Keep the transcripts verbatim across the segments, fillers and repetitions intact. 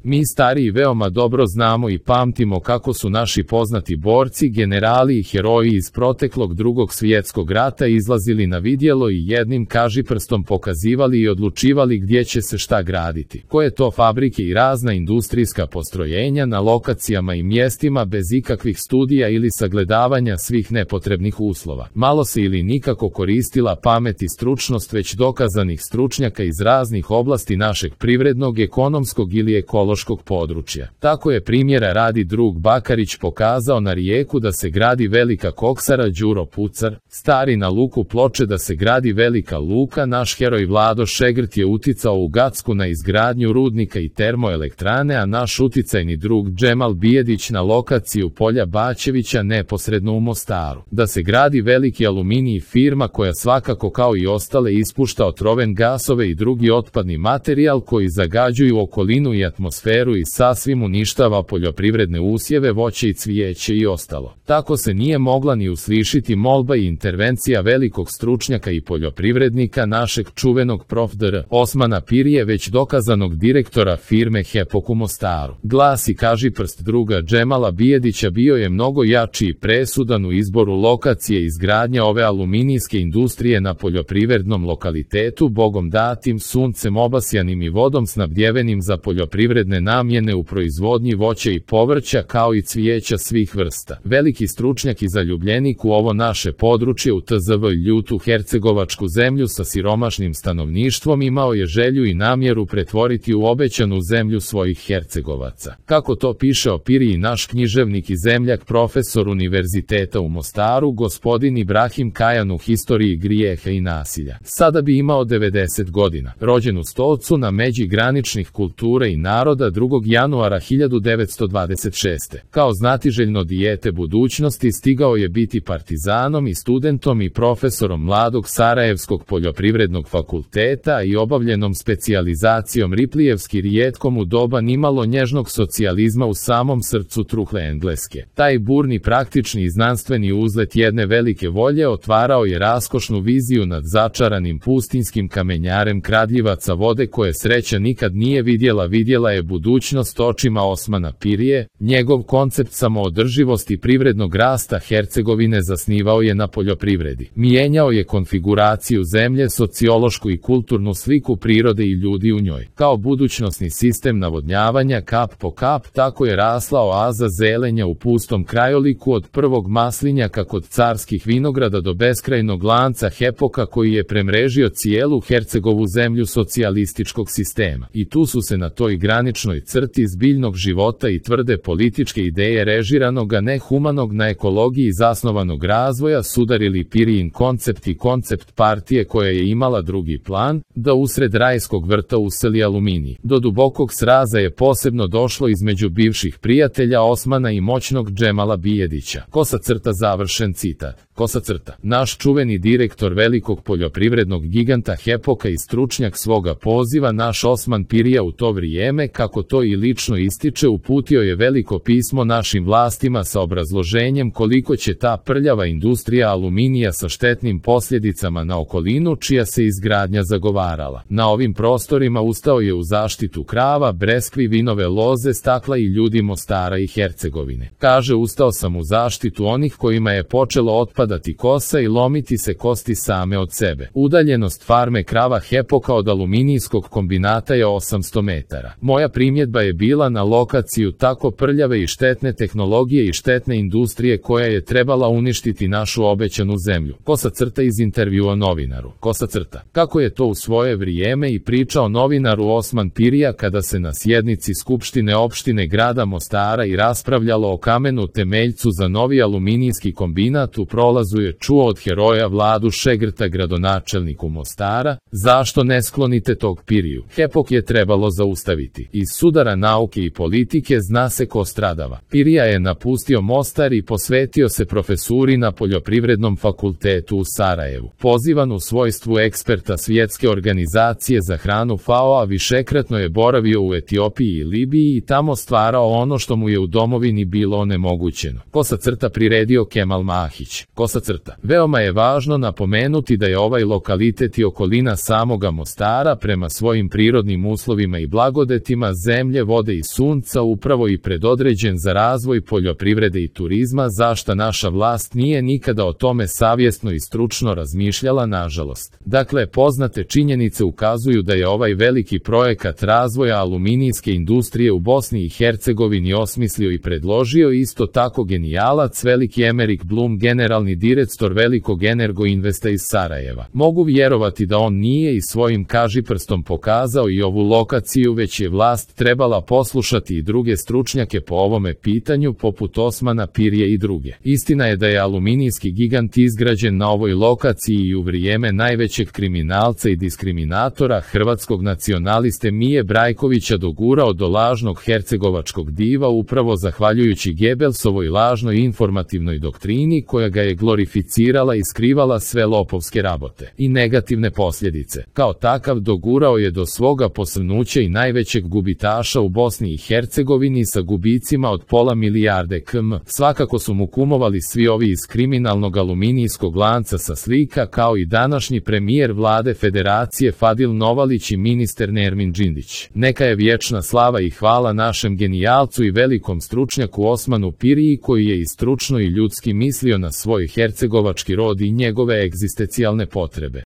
Mi stariji veoma dobro znamo i pamtimo kako su naši poznati borci, generali i heroji iz proteklog Drugog svjetskog rata izlazili na vidjelo i jednim kažiprstom pokazivali i odlučivali gdje će se šta graditi, koje to fabrike i razna industrijska postrojenja na lokacijama i mjestima bez ikakvih studija ili sagledavanja svih nepotrebnih uslova. Malo se ili nikako koristila pamet i stručnost već dokazanih stručnjaka iz raznih oblasti našeg privrednog, ekonomskog ili ekološkog područja. Tako je primjera radi drug Bakarić pokazao na Rijeku da se gradi velika koksara Đuro Pucar, stari na luku Ploče da se gradi velika luka, naš heroj Vlado Šegrt je uticao u Gacku na izgradnju rudnika i termoelektrane, a naš uticajni drug Džemal Bijedić na lokaciju polja Bačevića neposredno u Mostaru. Da se gradi veliki aluminij, firma koja svakako kao i ostale ispušta otroven gasove i drugi otpadni materijal koji zagađuju okolinu i atmosferu i sasvim uništava poljoprivredne usjeve, voće i cvijeće i ostalo. Tako se nije mogla ni uslišiti molba i intervencija velikog stručnjaka i poljoprivrednika, našeg čuvenog prof. dr. Osmana Pirije, već dokazanog direktora firme Hepok u Mostaru. Glas i kažiprst druga Džemala Bijedića bio je mnogo jači i presudan u izboru lokacije izgradnje ove aluminijske industrije na poljoprivrednom lokalitetu, bogom datim, suncem obasjanim i vodom snabdjevenim za poljoprivredne namjene u proizvodnji voća i povrća kao i cvijeća svih vrsta. Veliki stručnjak i zaljubljenik u ovo naše područje u tzv. ljutu hercegovačku zemlju sa siromašnim stanovništvom imao je želju i namjeru pretvoriti u obećanu zemlju svojih Hercegovaca. Kako to piše o Piriji naš književnik i zemljak, profesor Univerziteta u Mostaru, gospodin Ibrahim Kajan u historiji grijeha i nasilja. Sada bi imao devedeset godina. Rođen u Stolcu na međi graničnih kultura i naroda drugog januara hiljadu devetsto dvadeset šeste. Kao znatiželjno dijete budućnosti stigao je biti partizanom i studentom i profesorom mladog Sarajevskog poljoprivrednog fakulteta i obavljenom specijalizacijom Riplijevski rijetkom u doba nimalo nježnog socijalizma u samom srcu truhle Engleske. Taj burni praktični i znanstveni uzlet jedne velike volje otvarao je raskošnu viziju nad začaranim pustinskim kamenjarem kradljivaca vode koje sreća nikad nije vidjela. Vidjela je budućnost očima Osmana Pirije. Njegov koncept samoodrživosti privrednog rasta Hercegovine zasnivao je na poljoprivredi. Mijenjao je konfiguraciju zemlje, sociološku i kulturnu sliku prirode i ljudi u njoj. Kao budućnosni sistem navodnjavanja kap po kap, tako je rasla oaza zelenja u pustom krajoliku od prvog maslinjaka kod carskih vinograda do beskrajnog lanca Hepoka koji je premrežio cijelu Hercegovu zemlju socijalističkog sistema. I tu su se na toj graničnoj crti zbiljnog života i tvrde političke ideje režiranog, a ne humanog, na ekologiji zasnovanog razvoja sudarili Pirijin koncept i koncept partije koja je imala drugi plan, da usred rajskog vrta useli aluminij. Do dubokog sraza je posebno došlo između bivših prijatelja Osmana i moćnog Džemala Bijedića. Kosa crta, završen citat. Kosa crta. Naš čuveni direktor velikog poljoprivrednog giganta Hepoka i stručnjak svoga poziva, naš Osman Pirija, u to vrijeme, kako to i lično ističe, uputio je veliko pismo našim vlastima sa obrazloženjem koliko će ta prljava industrija aluminija sa štetnim posljedicama na okolinu čija se izgradnja zagovarala. Na ovim prostorima ustao je u zaštitu krava, breskvi, vinove loze, stakla i ljudi Mostara i Hercegovine. Kaže, ustao sam u zaštitu onih kojima je počelo otpadati kosa i lomiti se kosti same od sebe. Udaljenost farme krava Hepoka od aluminijskog kombinata je osamsto metara. Moja primjedba je bila na lokaciju tako prljave i štetne tehnologije i štetne industrije koja je trebala uništiti našu obećanu zemlju. Kosa crta iz intervjua novinaru. Kosa crta. Kako je to u svoje vrijeme i pričao novinaru Osman Pirija kada se na sjednici Skupštine opštine grada Mostara i raspravljalo o kamenu temeljcu za novi aluminijski kombinat, u prolazu je čuo od heroja Vladu Šegrta, gradonačelniku Mostara: zašto ne sklonite tog Piriju? Hepok je trebalo zaustaviti. Iz sudara nauke i politike zna se ko stradava. Pirija je napustio Mostar i posvetio se profesuri na poljoprivrednom fakultetu u Sarajevu. Pozivan u svojstvu eksperta Svjetske organizacije za hranu F A O, a višekratno je boravio u Etiopiji i Libiji i tamo stvarao ono što mu je u domovini bilo onemogućeno. Kosa crta, priredio Kemal Mahić. Kosa crta. Veoma je važno napomenuti da je ovaj lokalitet i okolina samoga Mostara prema svojim prirodnim uslovima i blagodetima ima zemlje, vode i sunca, upravo i predodređen za razvoj poljoprivrede i turizma, zašta naša vlast nije nikada o tome savjesno i stručno razmišljala, nažalost. Dakle, poznate činjenice ukazuju da je ovaj veliki projekat razvoja aluminijske industrije u Bosni i Hercegovini osmislio i predložio isto tako genijalac veliki Emerik Blum, generalni direktor velikog Energo Investa iz Sarajeva. Mogu vjerovati da on nije i svojim kažiprstom pokazao i ovu lokaciju, već je vlast trebala poslušati i druge stručnjake po ovome pitanju, poput Osmana Pirje i druge. Istina je da je aluminijski gigant izgrađen na ovoj lokaciji i u vrijeme najvećeg kriminalca i diskriminatora, hrvatskog nacionaliste Mije Brajkovića, dogurao do lažnog hercegovačkog diva, upravo zahvaljujući Gebelsovoj lažnoj informativnoj doktrini koja ga je glorificirala i skrivala sve lopovske rabote i negativne posljedice. Kao takav dogurao je do svoga posrnuća i najvećeg gubitaša u Bosni i Hercegovini sa gubicima od pola milijarde km. Svakako su mu kumovali svi ovi iz kriminalnog aluminijskog lanca sa slika, kao i današnji premijer vlade Federacije Fadil Novalić i ministar Nermin Džindić. Neka je vječna slava i hvala našem genijalcu i velikom stručnjaku Osmanu Piriji, koji je i stručno i ljudski mislio na svoj hercegovački rod i njegove egzistencijalne potrebe.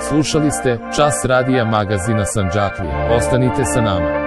Slušali ste Čas radija magazina Sandžaklija. Ostanite sa nama.